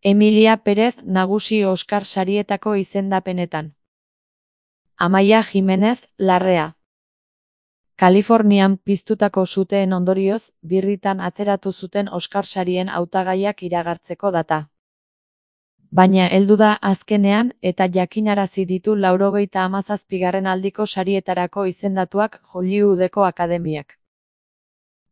Emilia Pérez nagusi Oskar sarietako izendapenetan. Amaia Jimenez Larrea. Kalifornian piztutako suteen ondorioz, birritan atzeratu zuten Oskar sarien hautagaiak iragartzeko data. Baina heldu da azkenean eta jakinarazi ditu 97. aldiko sarietarako izendatuak Hollywoodeko akademiak.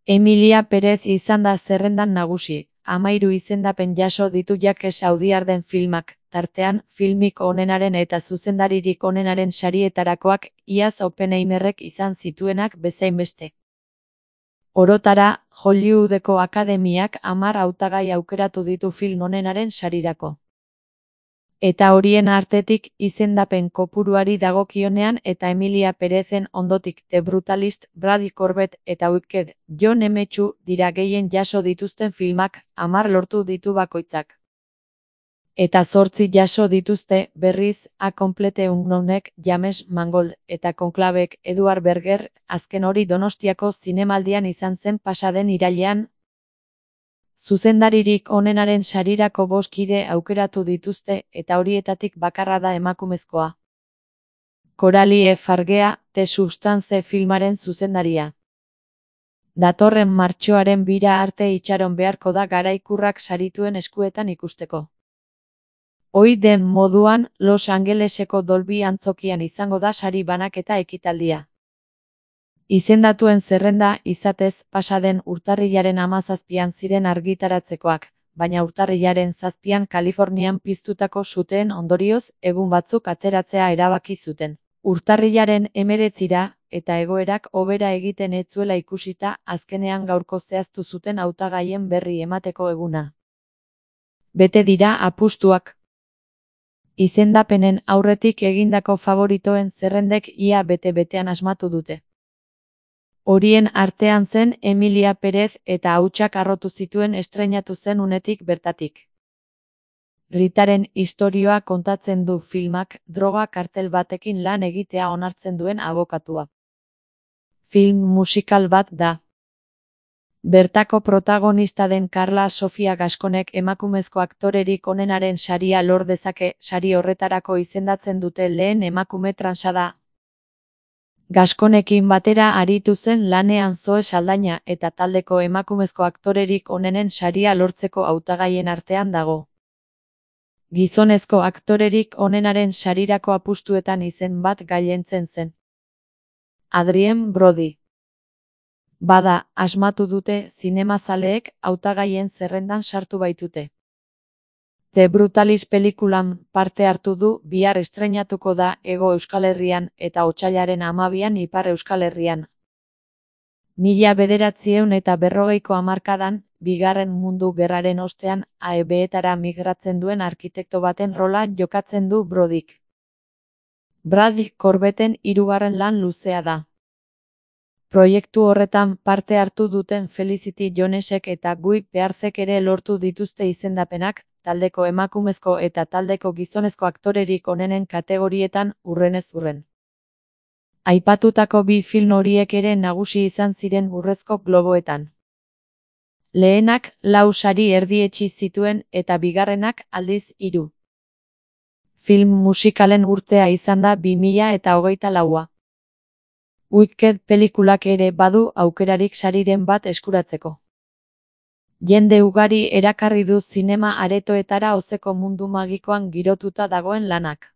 Emilia Pérez izan da zerrendan nagusi, 13 izendapen jaso ditu jake saudiarden filmak, tartean filmik onenaren eta zuzendaririk onenaren sarietarakoak iaz Oppenheimerrek izan zituenak bezain beste. Orotara, Hollywoodeko akademiak 10 hautagai aukeratu ditu film onenaren sarirako. Eta horien artetik izendapen kopuruari dagokionean eta Emilia Pérezen ondotik The Brutalist, Brady Corbett eta Wicked, Jon Emetsu dira gehien jaso dituzten filmak, 10 lortu ditu bakoitzak. Eta 8 jaso dituzte, berriz, A Complete Unknownek, James Mangold, eta Conclavek, Edward Berger, azken hori Donostiako zinemaldian izan zen pasaden irailean. Zuzendaririk onenaren sarirako 5 kide aukeratu dituzte eta horietatik bakarra da emakumezkoa. Coralie Fargea, The Substance filmaren zuzendaria. Datorren martxoaren 2 arte itxaron beharko da garaikurrak sarituen eskuetan ikusteko. Ohi den moduan, Los Angeleseko Dolby antzokian izango da sari banaketa ekitaldia. Izendatuen zerrenda, izatez, pasaden urtarrilaren 17an ziren argitaratzekoak, baina urtarrilaren 7an Kalifornian piztutako suteen ondorioz, egun batzuk atzeratzea erabaki zuten. Urtarrilaren 19ra, eta egoerak hobera egiten ez zuela ikusita, azkenean gaurko zehaztu zuten hautagaien berri emateko eguna. Bete dira apustuak. Izendapenen aurretik egindako favoritoen zerrendek ia bete-betean asmatu dute. Horien artean zen Emilia Pérez eta hautsak harrotu zituen estreinatu zen unetik bertatik. Ritaren istorioa kontatzen du filmak, droga kartel batekin lan egitea onartzen duen abokatua. Film musikal bat da. Bertako protagonista den Karla Sofia Gaskonek emakumezko aktorerik onenaren saria lor dezake, sari horretarako izendatzen dute lehen emakume transa da. Gaskonekin batera aritu zen lanean Zoe Saldaña eta taldeko emakumezko aktorerik onenen saria lortzeko hautagaien artean dago. Gizonezko aktorerik onenaren sarirako apustuetan izen bat gailentzen zen. Adrien Brody. Bada, asmatu dute zinemazaleek hautagaien zerrendan sartu baitute. The Brutalist pelikulan parte hartu du, bihar estreinatuko da Hego Euskal Herrian eta otsailaren 12an Ipar Euskal Herrian. 1940ko hamarkadan, Bigarren Mundu Gerraren ostean, AEBetara migratzen duen arkitekto baten rola jokatzen du Brodyk. Brady Corbetten 3. lan luzea da. Proiektu horretan parte hartu duten Felicity Jonesek eta Guy Pearzek ere lortu dituzte izendapenak, taldeko emakumezko eta taldeko gizonezko aktorerik onenen kategorietan hurrenez hurren. Aipatutako 2 film horiek ere nagusi izan ziren Urrezko Globoetan. Lehenak 4 sari erdietsi zituen eta bigarrenak aldiz 3. Film musikalen urtea izan da 2024a. Wicked pelikulak ere badu aukerarik sariren bat eskuratzeko. Jende ugari erakarri du zinema aretoetara ozeko mundu magikoan girotuta dagoen lanak.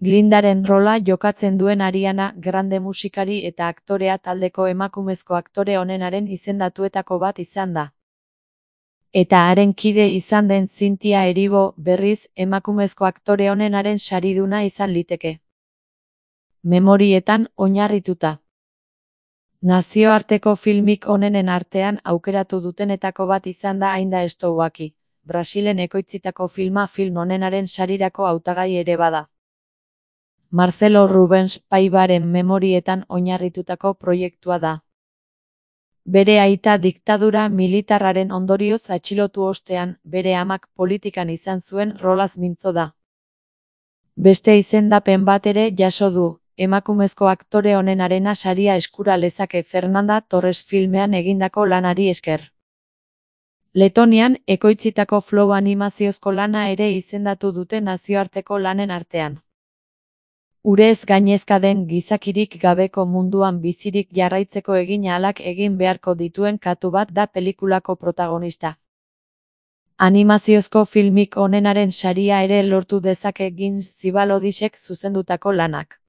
Glindaren rola jokatzen duen Ariana Grande musikari eta aktorea taldeko emakumezko aktore onenaren izendatuetako bat izan da. Eta haren kide izan den Cynthia Erivo berriz emakumezko aktore onenaren sariduna izan liteke. Memorietan oinarrituta. Nazioarteko filmik onenen artean aukeratu dutenetako bat izan da Ainda Estou Aquí, Brasilen ekoitzitako filma film onenaren sarirako hautagai ere bada. Marcelo Rubens Paivaren memorietan oinarritutako proiektua da. Bere aita diktadura militarraren ondorioz atxilotu ostean, bere amak politikan izan zuen rolaz mintzo da. Beste izendapen bat ere jaso du, emakumezko aktore onenarena saria eskura lezake Fernanda Torres filmean egindako lanari esker. Letonian ekoitzitako Flow animaziozko lana ere izendatu dute nazioarteko lanen artean. Urez gainezka den gizakirik gabeko munduan bizirik jarraitzeko egin ahalak egin beharko dituen katu bat da pelikulako protagonista. Animaziozko filmik onenaren saria ere lortu dezake Gins Zibalodisek zuzendutako lanak.